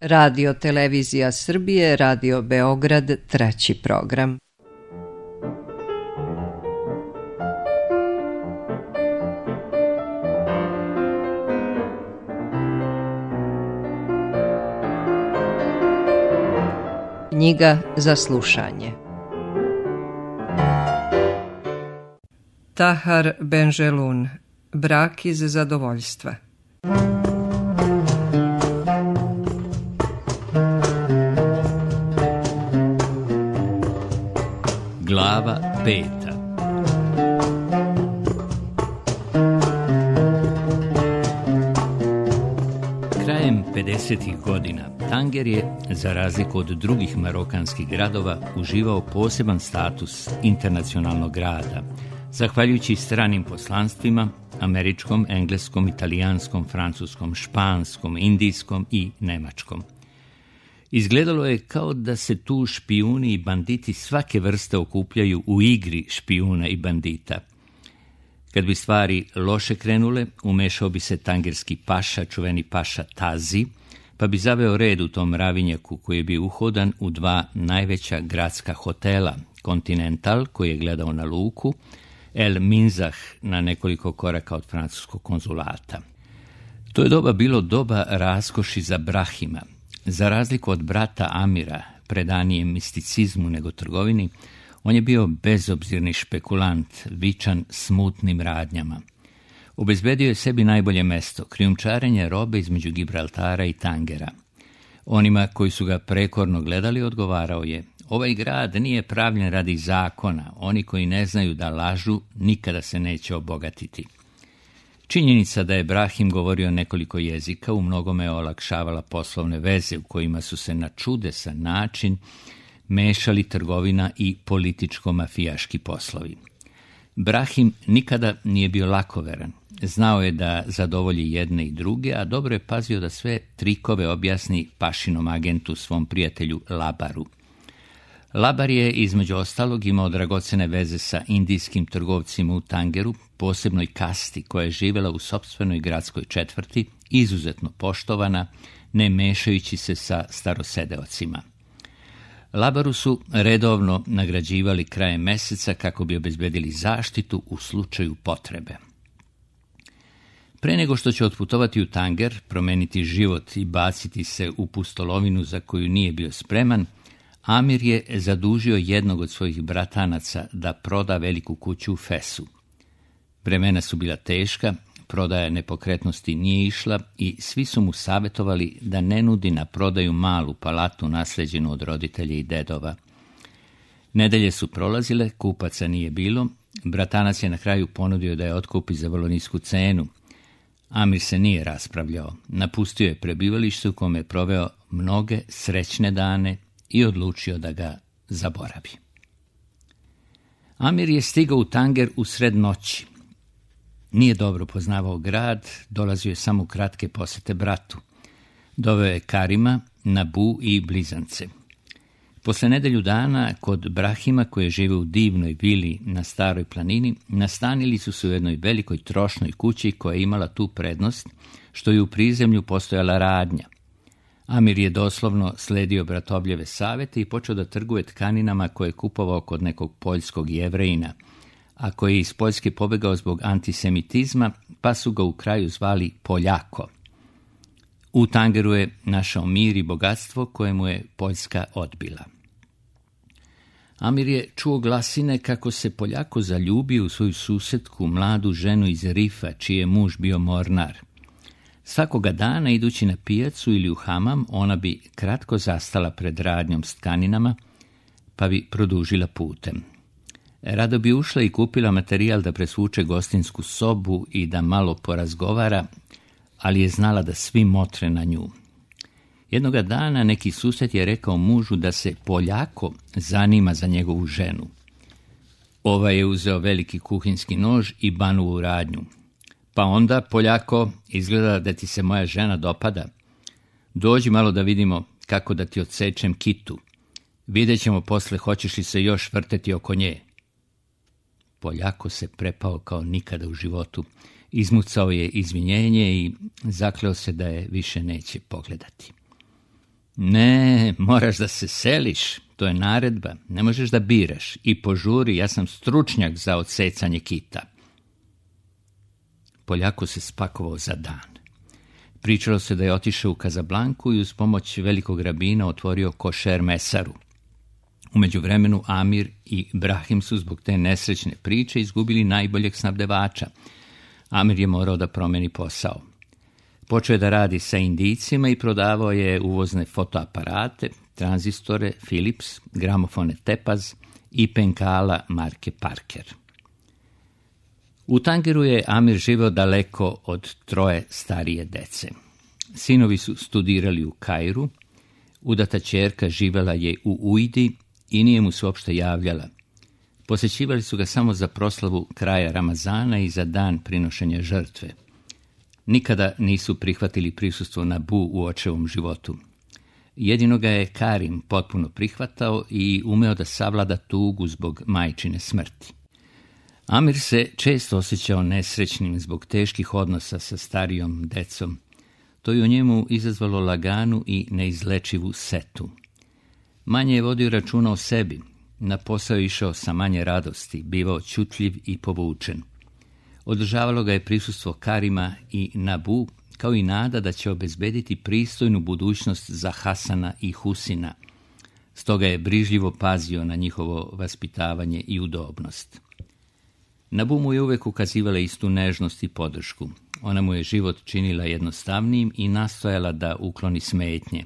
Radio Televizija Srbije, Radio Beograd, treći program. Knjiga za slušanje. Tahar Benjelun, Brak iz zadovoljstva. Glava 5. Krajem 50. godina Tanger je, za razliku od drugih marokanskih gradova, uživao poseban status internacionalnog grada, zahvaljujući stranim poslanstvima, američkom, engleskom, italijanskom, francuskom, španskom, indijskom i nemačkom. Izgledalo je kao da se tu špijuni i banditi svake vrste okupljaju u igri špijuna i bandita. Kad bi stvari loše krenule, umešao bi se tangerski paša, čuveni paša Tazi, pa bi zaveo red u tom mravinjaku koji je bio uhodan u dva najveća gradska hotela, Continental, koji je gledao na luku, El Minzah na nekoliko koraka od francuskog konzulata. To je doba bilo doba raskoši za Brahima. Za razliku od brata Amira, predanije misticizmu nego trgovini, on je bio bezobzirni špekulant, vičan smutnim radnjama. Obezbedio je sebi najbolje mesto, krijumčarenje robe između Gibraltara i Tangera. Onima koji su ga prekorno gledali odgovarao je: ovaj grad nije pravljen radi zakona, oni koji ne znaju da lažu nikada se neće obogatiti. Činjenica da je Brahim govorio nekoliko jezika u mnogome olakšavala poslovne veze u kojima su se na čudesan način mešali trgovina i političko-mafijaški poslovi. Brahim nikada nije bio lakoveran. Znao je da zadovolji jedne i druge, a dobro je pazio da sve trikove objasni pašinom agentu, svom prijatelju Labaru. Labar je, između ostalog, imao dragocene veze sa indijskim trgovcima u Tangeru, posebnoj kasti koja je živjela u sopstvenoj gradskoj četvrti, izuzetno poštovana, ne mešajući se sa starosedeocima. Labaru su redovno nagrađivali krajem meseca kako bi obezbedili zaštitu u slučaju potrebe. Pre nego što će otputovati u Tanger, promeniti život i baciti se u pustolovinu za koju nije bio spreman, Amir je zadužio jednog od svojih bratanaca da proda veliku kuću u Fesu. Vremena su bila teška, prodaja nepokretnosti nije išla i svi su mu savjetovali da ne nudi na prodaju malu palatu nasleđenu od roditelja i dedova. Nedelje su prolazile, kupaca nije bilo, bratanac je na kraju ponudio da je otkupi za vrlo nisku cenu. Amir se nije raspravljao, napustio je prebivalište u kome je proveo mnoge srećne dane i odlučio da ga zaboravi. Amir je stigao u Tanger u sred noći. Nije dobro poznavao grad, dolazio je samo u kratke posete bratu. Doveo je Karima, Nabu i blizance. Posle nedelju dana, kod Brahima, koji je živio u divnoj vili na staroj planini, nastanili su se u jednoj velikoj trošnoj kući koja je imala tu prednost, što je u prizemlju postojala radnja. Amir je doslovno sledio bratobljeve savete i počeo da trguje tkaninama koje je kupovao kod nekog poljskog Jevrejina, a koji je iz Poljske pobegao zbog antisemitizma, pa su ga u kraju zvali Poljako. U Tangeru je našao mir i bogatstvo koje mu je Poljska odbila. Amir je čuo glasine kako se Poljako zaljubio u svoju susetku, mladu ženu iz Rifa, čiji je muž bio mornar. Svakoga dana, idući na pijacu ili u hamam, ona bi kratko zastala pred radnjom s tkaninama, pa bi produžila putem. Rado bi ušla i kupila materijal da presvuče gostinsku sobu i da malo porazgovara, ali je znala da svi motre na nju. Jednoga dana neki sused je rekao mužu da se Poljako zanima za njegovu ženu. Ovaj je uzeo veliki kuhinjski nož i banuo u radnju. Pa onda, Poljako, izgleda da ti se moja žena dopada. Dođi malo da vidimo kako da ti odsečem kitu. Vidjet ćemo posle hoćeš li se još vrteti oko nje. Poljako se prepao kao nikada u životu. Izmucao je izvinjenje i zakleo se da je više neće pogledati. Ne, moraš da se seliš, to je naredba, ne možeš da biraš i požuri, ja sam stručnjak za odsecanje kita. Poljako se spakovao za dan. Pričalo se da je otišao u Kazablanku i uz pomoć velikog rabina otvorio košer mesaru. U međuvremenu Amir i Brahim su zbog te nesrećne priče izgubili najboljeg snabdevača. Amir je morao da promeni posao. Počeo je da radi sa Indijcima i prodavao je uvozne fotoaparate, tranzistore, Philips, gramofone Tepaz i penkala marke Parker. U Tangeru je Amir živeo daleko od 3 starije dece. Sinovi su studirali u Kairu, udata ćerka živela je u Ujdi i nije mu se uopšte javljala. Posećivali su ga samo za proslavu kraja Ramazana i za dan prinošenja žrtve. Nikada nisu prihvatili prisustvo Nabu u očevom životu. Jedino ga je Karim potpuno prihvatao i umeo da savlada tugu zbog majčine smrti. Amir se često osjećao nesrećnim zbog teških odnosa sa starijom decom. To je u njemu izazvalo laganu i neizlečivu setu. Manje je vodio računa o sebi, na posao je išao sa manje radosti, bivao ćutljiv i povučen. Održavalo ga je prisustvo Karima i Nabu, kao i nada da će obezbediti pristojnu budućnost za Hasana i Husina. Stoga je brižljivo pazio na njihovo vaspitavanje i udobnost. Nabu mu je uvek ukazivala istu nežnost i podršku. Ona mu je život činila jednostavnijim i nastojala da ukloni smetnje.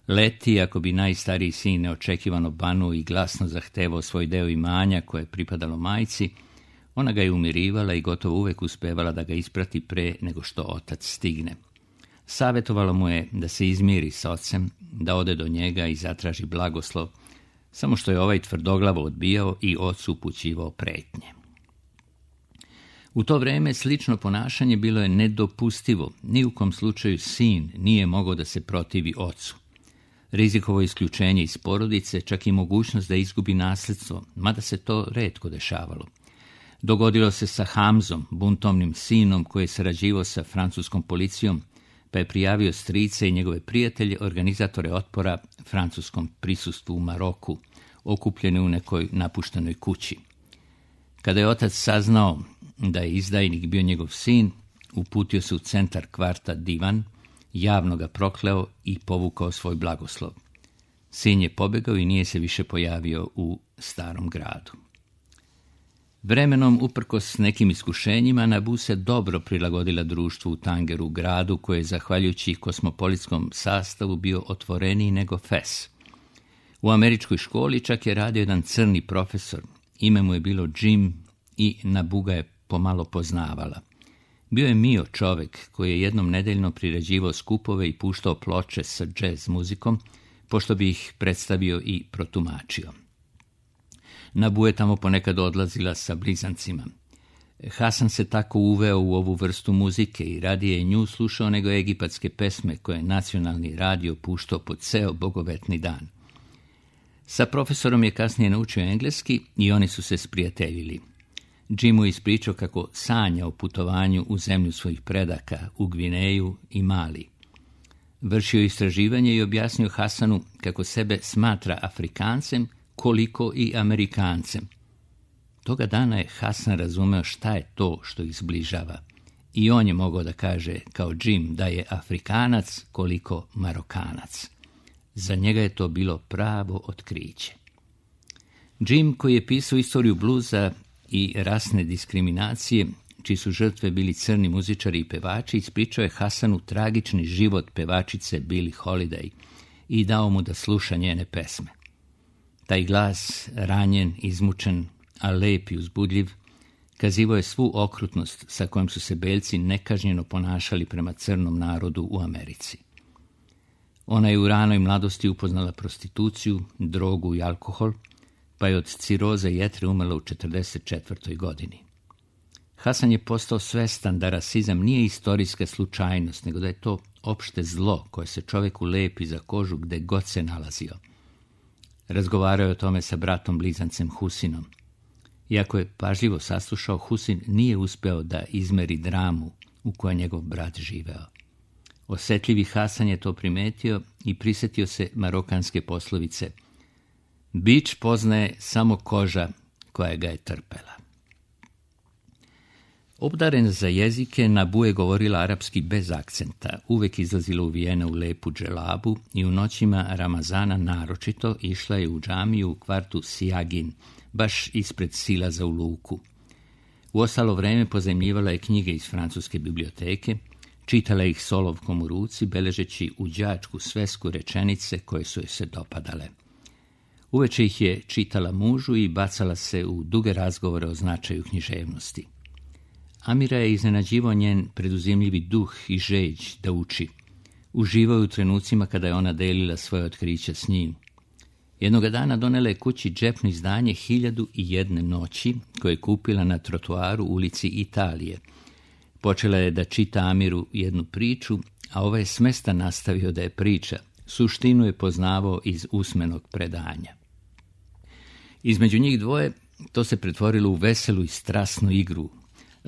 Leti, ako bi najstariji sin neočekivano banuo i glasno zahtevao svoj deo imanja koje je pripadalo majci, ona ga je umirivala i gotovo uvek uspevala da ga isprati pre nego što otac stigne. Savjetovala mu je da se izmiri s ocem, da ode do njega i zatraži blagoslov, samo što je ovaj tvrdoglavo odbijao i ocu upućivao pretnje. U to vreme slično ponašanje bilo je nedopustivo, ni u kom slučaju sin nije mogao da se protivi ocu. Rizikovo isključenje iz porodice, čak i mogućnost da izgubi nasljedstvo, mada se to retko dešavalo. Dogodilo se sa Hamzom, buntovnim sinom koji je sarađivao sa francuskom policijom, pa je prijavio strice i njegove prijatelje, organizatore otpora francuskom prisustvu u Maroku, okupljeni u nekoj napuštenoj kući. Kada je otac saznao da je izdajnik bio njegov sin, uputio se u centar kvarta Divan, javno ga prokleo i povukao svoj blagoslov. Sin je pobegao i nije se više pojavio u starom gradu. Vremenom, uprkos nekim iskušenjima, Nabu se dobro prilagodila društvu u Tangeru, gradu koji je, zahvaljujući kosmopolitskom sastavu, bio otvoreniji nego Fes. U američkoj školi čak je radio jedan crni profesor. Ime mu je bilo Jim i Nabu ga je pomalo poznavala. Bio je mio čovek koji je jednom nedeljno priređivao skupove i puštao ploče sa džez muzikom, pošto bi ih predstavio i protumačio. Nabu je tamo ponekad odlazila sa blizancima. Hasan se tako uveo u ovu vrstu muzike i radije je nju slušao nego egipatske pesme koje je nacionalni radio puštao po ceo bogovetni dan. Sa profesorom je kasnije naučio engleski i oni su se sprijateljili. Jim mu ispričao kako sanja o putovanju u zemlju svojih predaka, u Gvineju i Mali. Vršio istraživanje i objasnio Hasanu kako sebe smatra Afrikancem, koliko i Amerikancem. Toga dana je Hasan razumeo šta je to što ih zbližava. I on je mogao da kaže, kao Jim, da je Afrikanac koliko Marokanac. Za njega je to bilo pravo otkriće. Jim, koji je pisao istoriju bluza i rasne diskriminacije, čiji su žrtve bili crni muzičari i pevači, ispričao je Hasanu tragični život pevačice Billie Holiday i dao mu da sluša njene pesme. Taj glas, ranjen, izmučen, a lep i uzbudljiv, kazivao je svu okrutnost sa kojom su se belci nekažnjeno ponašali prema crnom narodu u Americi. Ona je u ranoj mladosti upoznala prostituciju, drogu i alkohol, pa je od ciroze jetre umrla u 44. godini. Hasan je postao svestan da rasizam nije istorijska slučajnost, nego da je to opšte zlo koje se čoveku lepi za kožu gde god se nalazio. Razgovarao je o tome sa bratom blizancem Husinom. Iako je pažljivo saslušao, Husin nije uspeo da izmeri dramu u kojoj njegov brat živeo. Osetljivi Hasan je to primetio i prisjetio se marokanske poslovice: bič poznaje samo koža koja ga je trpela. Obdaren za jezike, Nabu je govorila arapski bez akcenta, uvek izlazila uvijena u lepu dželabu i u noćima Ramazana naročito išla je u džamiju u kvartu Sijagin, baš ispred silaza u luku. U ostalo vreme pozajmljivala je knjige iz francuske biblioteke, čitala ih s olovkom u ruci, beležeći u đačku svesku rečenice koje su joj se dopadale. Uveče ih je čitala mužu i bacala se u duge razgovore o značaju književnosti. Amira je iznenađivao njen preduzimljivi duh i žeđ da uči. Uživao u trenucima kada je ona delila svoje otkrića s njim. Jednoga dana donela je kući džepno izdanje 1001 noći koje je kupila na trotoaru ulici Italije. Počela je da čita Amiru jednu priču, a ovaj je smesta nastavio da je priča. Suštinu je poznavao iz usmenog predanja. Između njih dvoje to se pretvorilo u veselu i strasnu igru.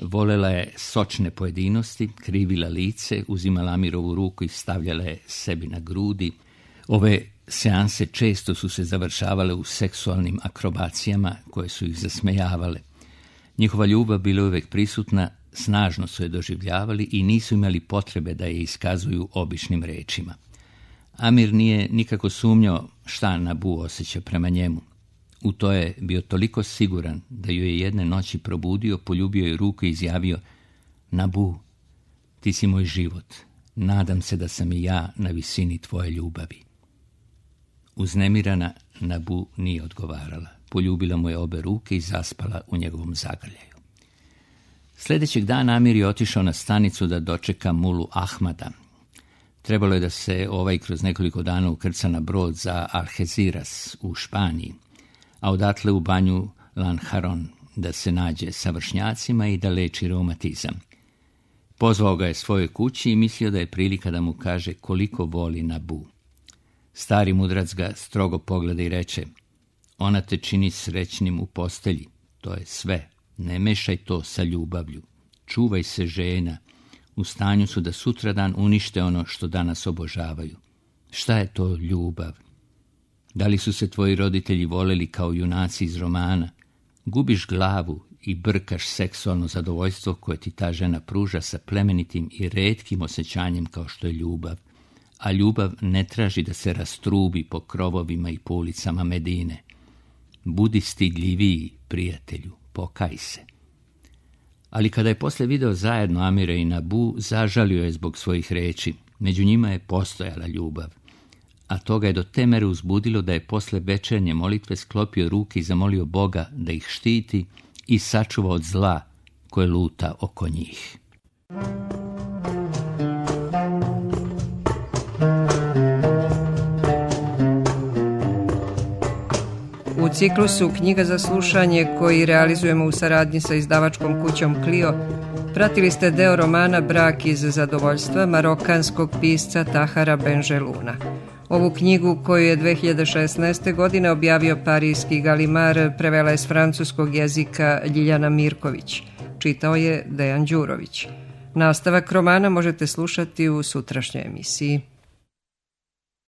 Volela je sočne pojedinosti, krivila lice, uzimala Amirovu ruku i stavljala je sebi na grudi. Ove seanse često su se završavale u seksualnim akrobacijama koje su ih zasmejavale. Njihova ljubav bila uvek prisutna, snažno su je doživljavali i nisu imali potrebe da je iskazuju običnim rečima. Amir nije nikako sumnjao šta Nabu osjeća prema njemu. U to je bio toliko siguran da ju je jedne noći probudio, poljubio je ruku i izjavio: Nabu, ti si moj život. Nadam se da sam i ja na visini tvoje ljubavi. Uznemirana, Nabu nije odgovarala. Poljubila mu je obe ruke i zaspala u njegovom zagrljaju. Sljedećeg dana Amir je otišao na stanicu da dočeka mulu Ahmada. Trebalo je da se ovaj kroz nekoliko dana ukrca na brod za Algeciras u Španiji, a odatle u banju Lanharon da se nađe sa vršnjacima i da leči reumatizam. Pozvao ga je svojoj kući i mislio da je prilika da mu kaže koliko voli Nabu. Stari mudrac ga strogo pogleda i reče: ona te čini srećnim u postelji, to je sve, ne mešaj to sa ljubavlju. Čuvaj se žena, u stanju su da sutradan unište ono što danas obožavaju. Šta je to ljubav? Da li su se tvoji roditelji voleli kao junaci iz romana? Gubiš glavu i brkaš seksualno zadovoljstvo koje ti ta žena pruža sa plemenitim i retkim osjećanjem kao što je ljubav. A ljubav ne traži da se rastrubi po krovovima i po ulicama Medine. Budi stidljiviji, prijatelju, pokaj se. Ali kada je posle video zajedno Amira i Nabu, zažalio je zbog svojih reči. Među njima je postojala ljubav. A to ga je do te mere uzbudilo da je posle večernje molitve sklopio ruke i zamolio Boga da ih štiti i sačuva od zla koje luta oko njih. U ciklusu Knjiga za slušanje koji realizujemo u saradnji sa izdavačkom kućom Clio, pratili ste deo romana Brak iz zadovoljstva marokanskog pisca Tahara Benjeluna. Ovu knjigu koju je 2016. godine objavio parijski Galimar prevela je s francuskog jezika Ljiljana Mirković. Čitao je Dejan Đurović. Nastavak romana možete slušati u sutrašnjoj emisiji.